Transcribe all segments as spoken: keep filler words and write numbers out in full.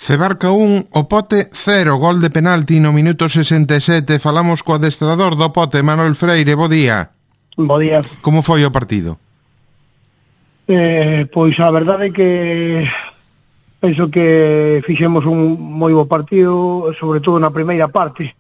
Cebarca un, o Pote cero, gol de penalti no minuto sesenta e sete. Falamos co adestrador do Pote, Manuel Freire, bo día. Bo día. Como foi o partido? Eh, pois a verdade é que penso que fixemos un moi bo partido, sobre todo na primeira parte.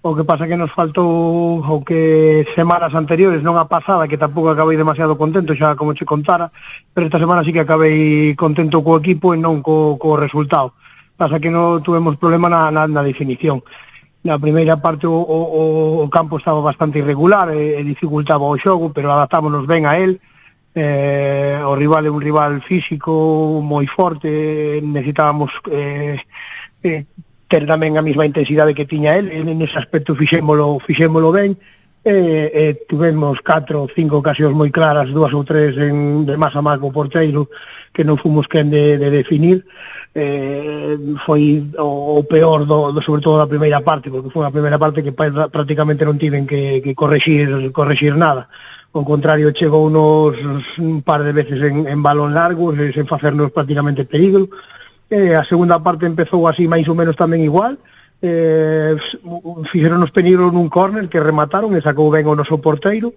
O que pasa que nos faltou o que semanas anteriores, non a pasada, que tampouco acabei demasiado contento, xa como che contara, pero esta semana sí que acabei contento co equipo e non co, co resultado. Pasa que non tuvemos problema na, na, na definición. Na primeira parte o, o, o campo estaba bastante irregular e, e dificultaba o xogo, pero adaptámonos ben a él. Eh, o rival é un rival físico moi forte, necesitábamos eh, eh, ter tamén a mesma intensidade que tiña el, en ese aspecto fixémolo, fixémolo ben, e, e tivemos catro ou cinco ocasións moi claras, dúas ou tres en, de más a más co porteiro, que non fomos quen de, de definir. Eh, foi o, o peor, do, do, sobre todo da primeira parte, porque foi a primeira parte que prácticamente non tiven que, que correxir, correxir nada. Ao contrario, chegou unos un par de veces en, en balón largos, sen facernos prácticamente peligro. Eh, a segunda parte empezou así máis ou menos tamén igual, eh, fixeronos peligro nun córner que remataron e sacou ben o noso porteiro,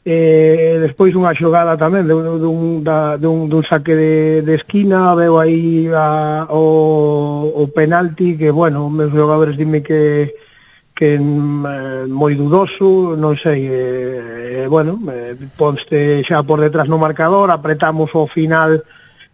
eh, despois unha xogada tamén de, de, un, da, de, un, de un saque de, de esquina, veo aí a, o, o penalti que, bueno, meus xogadores dime que que eh, moi dudoso, non sei, eh, bueno, eh, ponste xa por detrás no marcador, apretamos ao final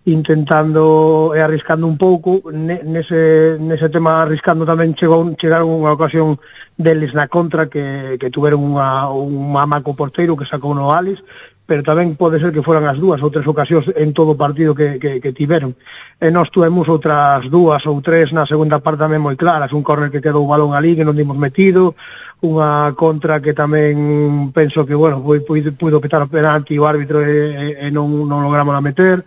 intentando e arriscando un pouco, nese, nese tema arriscando tamén chegou, chegaron unha ocasión deles na contra que, que tuveron unha, un mamaco porteiro que sacou no Alex, pero tamén pode ser que foran as dúas ou tres ocasións en todo o partido que, que, que tiveron. E nós tuvemos outras dúas ou tres na segunda parte tamén moi claras, un córner que quedou o balón ali que non dimos metido, unha contra que tamén penso que, bueno, puido, puido petar o penalti o árbitro e, e non, non logramos a meter.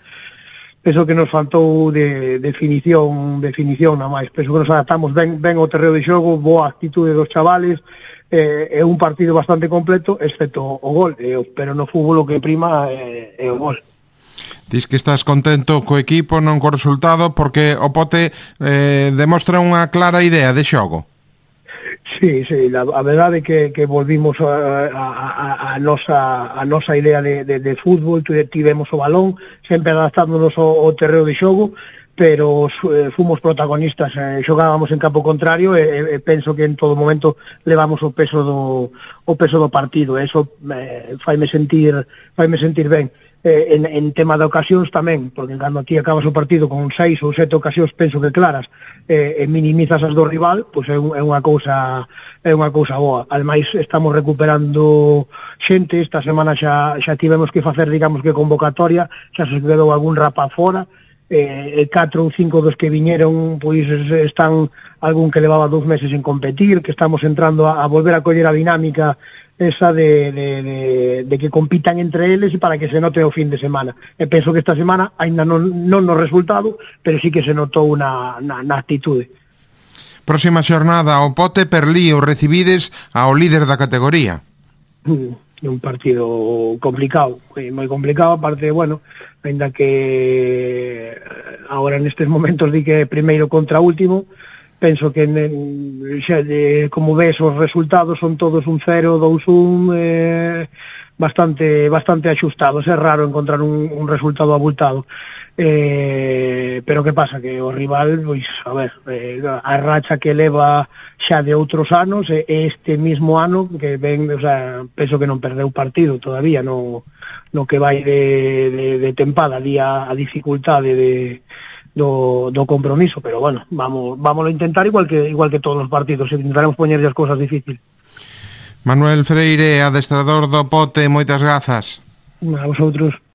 Penso que nos faltou de definición, definición na máis. Penso que nos adaptamos ben, ben ao terreo de xogo, boa actitude dos chavales, é eh, un partido bastante completo, excepto o gol, eh, pero no fútbol o que prima é, é o gol. Dis que estás contento co equipo, non co resultado, porque o Pote eh, demostra unha clara idea de xogo. Sí, sí, la, a verdade é que, que volvimos a, a, a, a, nosa, a nosa idea de, de, de fútbol, tivemos o balón, sempre adaptándonos ao, ao terreo de xogo, pero eh, fomos protagonistas, eh, xogábamos en campo contrario e, e penso que en todo momento levamos o peso do, o peso do partido, e eso eh, faime sentir, faime sentir ben. Eh, en, en tema de ocasións tamén, porque cando ti acabas o partido con seis ou sete ocasións, penso que claras, eh, e minimizas as do rival, pois é, un, é unha cousa é unha cousa boa. Ademais estamos recuperando xente, esta semana xa, xa tivemos que facer, digamos que convocatoria, xa se quedou algún rapaz fora, e eh, catro ou cinco dos que viñeron pois están algún que levaba dous meses en competir, que estamos entrando a, a volver a coller a dinámica esa de, de, de, de que compitan entre eles e para que se note o fin de semana. E penso que esta semana ainda non, non no resultado, pero sí que se notou na, na, na actitude. Próxima xornada, o Pote Perlío, recibides ao líder da categoría. É un partido complicado, moi complicado, aparte, bueno, ainda que agora nestes momentos di que primeiro contra último, penso que xa, de, como ves os resultados son todos un cero, dous un, eh, bastante bastante axustados, é raro encontrar un, un resultado abultado, eh, pero que pasa, que o rival, pois, a ver, eh, a racha que leva xa de outros anos, e este mismo ano que ven, o sea, penso que non perdeu partido todavía no, no que vai de, de, de tempada, día a dificultade de Do, do compromiso, pero bueno, vamos vamos a intentar igual que igual que todos os partidos, intentaremos poñerlle as cousas difíciles. Manuel Freire, adestrador do Pote, moitas grazas. A vosotros.